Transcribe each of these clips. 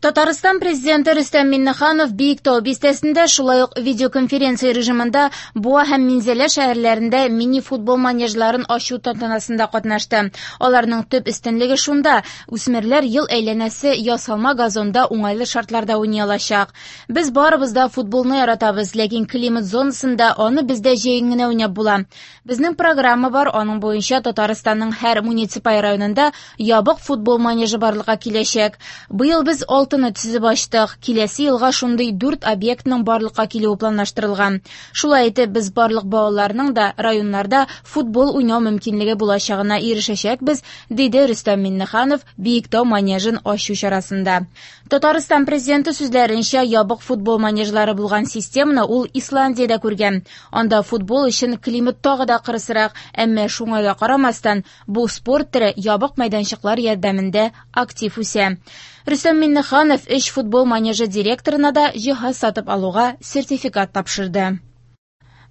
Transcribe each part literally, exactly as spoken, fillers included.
Татарстан президенты Рөстәм Миңнеханов Биектау бистәсендә, шулай ук видеоконференция режимында Буа һәм Минзәлә шәһәрләрендә мини-футбол манежларын ачу тантанасында катнашты. Аларның төп өстенлеге шунда: үсмерләр ел әйләнәсе ясалма газонда уңайлы шартларда уйный алачак. Без барыбыз да футболны яратабыз, ләкин климат зонасында аны бездә җәен генә уйнап була. Безнең программа бар, аның буенча Татарстанның һәр муниципаль районында ябык футбол манежы барлыкка киләчәк. Быел без алтыны төзеп ачтык. Киләсе елга шундый дүрт объектның барлыкка килүе планлаштырылган. Шулай итеп, без барлык балаларның да районнарда футбол уйнау мөмкинлеге булачагына ирешәчәкбез, диде Рөстәм Миңнеханов Биектау манежын ачу чарасында. Татарстан президенты сүзләренчә, ябык футбол манежлары булган системаны ул Исландиядә күргән. Анда футбол өчен климат тагы да кырысрак, әмма шуңа да карамастан, бу спорт төре ябык мәйданчыклар ярдәмендә актив үсә. Рөстәм Миңнеханов өч футбол манежы директорына да җиһаз сатып алуга сертификат тапшырды.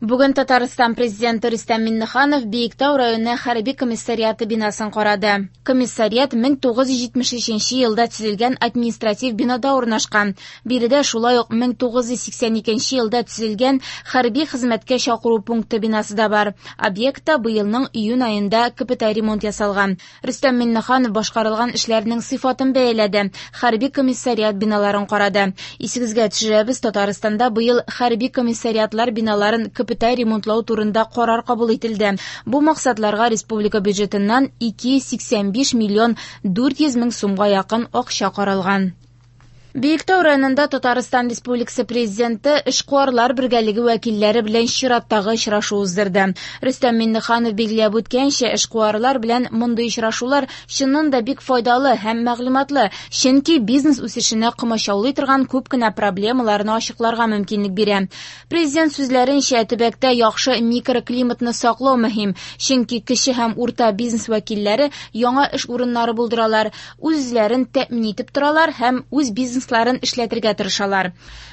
Бүген Татарстан президенты Рөстәм Миңнеханов Биектау районы хәрби комиссариаты бинасын карады. Комиссариат мең тугыз йөз җитмеш өченче елда төзелгән административ бинада урнашкан. Биредә шулай ук мең тугыз йөз сиксән икенче елда төзелгән хәрби хезмәткә чакыру пункты бинасы да бар. Объектта быелның июнь аенда капиталь ремонт ясалган. Рөстәм Миңнеханов башкарылган эшләрнең сыйфатын бәяләде, хәрби комиссариат биналарын карады. Исегезгә төшерәбез, Татарстанда быел хәрби комиссариатлар биналарын капиталь ремонтлау турында карар кабул ителде. Бу максатларга республика бюджетыннан ике йөз сиксән биш миллион дүрт йөз мең сумга якын акча каралган. Биектау районында Татарстан Республикасы президенты эшкуарлар бергәлеге вәкилләре белән чираттагы очрашу уздырды. Рөстәм Миңнеханов билгеләп үткәнчә, эшкуарлар белән мондый очрашулар чыннан да бик файдалы һәм мәгълүматлы, чөнки бизнес үсешенә комачаулый торган күп кенә проблемаларны ачыкларга мөмкинлек бирә. Президент сүзләренчә, төбәктә яхшы микроклиматны саклау мөһим, чөнки кече һәм урта бизнес вәкилләре яңа эш урыннары булдыралар, үзләрен тәэмин итеп торалар һәм үз бизнес эшләтергә тырышалар.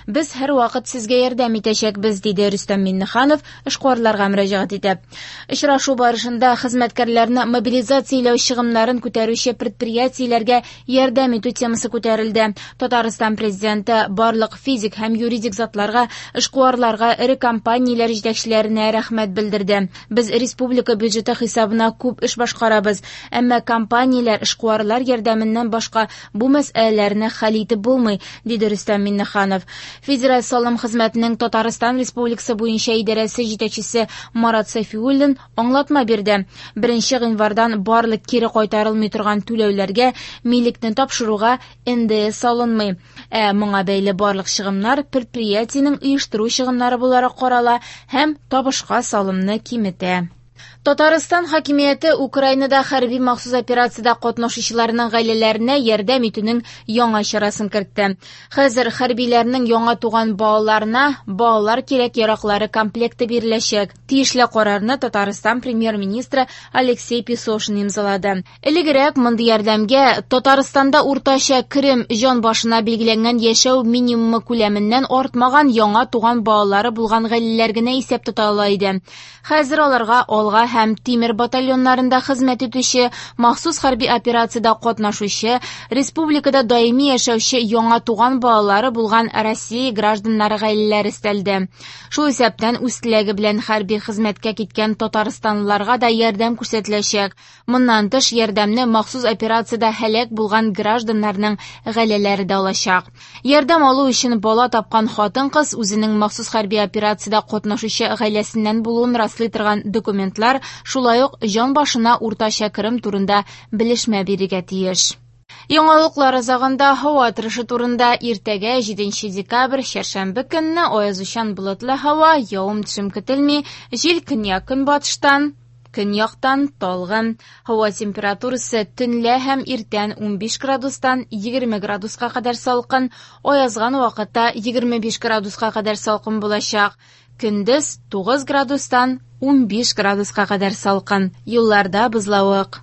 Без һәр вакыт сезгә ярдәм итәчәкбез, диде Рөстәм Миңнеханов эшкуарларга мөрәҗәгать итеп. Очрашу барышында хезмәткәрләрне мобилизацияләү чыгымнарын күтәрүче предприятиеләргә ярдәм итү темасы күтәрелде. Татарстан президенты барлык физик һәм юридик затларга, эшкуарларга, эре компанияләр җитәкчеләренә рәхмәт белдерде. Без республика бюджеты хисабына күп эш башкарабыз, әмма компанияләр, эшкуарлар ярдәменнән башка бу мәсьәләләрне хәл итеп булмый, диде Рөстәм Миңнеханов. Федераль салым хезмәтенең Татарстан Республикасы буенча идарәсе җитәкчесе Марат Сафиуллин аңлатма бирде. Беренче гыйнвардан барлык кире кайтарылмый торган түләүләргә милекне тапшыруга эн дэ эс алынмый. Ә моңа бәйле барлык чыгымнар предприятиенең оештыру чыгымнары буларак карала һәм табышка салымны киметә. Татарстан хакимияте Украинада хәрби махсус операциядә катнашучыларның гаиләләренә ярдәм итүнең яңа чарасын кертте. Хәзер хәрбиләрнең яңа туган балаларына балалар кирәк-яраклары комплекты биреләчәк. Тиешле карарны Татарстан премьер-министры Алексей Песошин имзалады. Элегрәк мондый ярдәмгә Татарстанда уртача керем җан башына билгеләнгән яшәү минимумы күләменнән артмаган яңа туган балалары булган гаиләләр генә исәп тота ала иде. Хәзер аларга Алга һәм Тимер батальоннарында хезмәт итүче, махсус хәрби операциядә катнашучы, республикада даими яшәүче яңа туган балалары булган Россия гражданнары гаиләләре өстәлде. Шул исәптән үз теләге белән хәрби хезмәткә киткән татарстанлыларга да ярдәм күрсәтеләчәк. Моннан тыш ярдәмне махсус операциядә һәлак булган гражданнарның гаиләләре дә алачак. Ярдәм алу өчен бала тапкан хатын-кыз үзенең махсус хәрби операциядә катнашучы гаиләсеннән булуын раслый торган документлар, шулай ук җан башына уртача керем турында белешмә бирергә тиеш. Яңалыклар азагында һава торышы турында. Иртәгә җиденче декабрь, чәршәмбе көнне аязучан болытлы һава, явым-төшем көтелми, җил көньяк-көнбатыштан, көньяктан талгын. Һава температурасы төнлә һәм иртән унбиш градустан егерме градуска кадәр салкын, аязган вакытта егерме биш градуска кадәр салкын булачак. Көндез тугыз градустан унбиш градуска кадәр салкын. Юлларда бозлавык.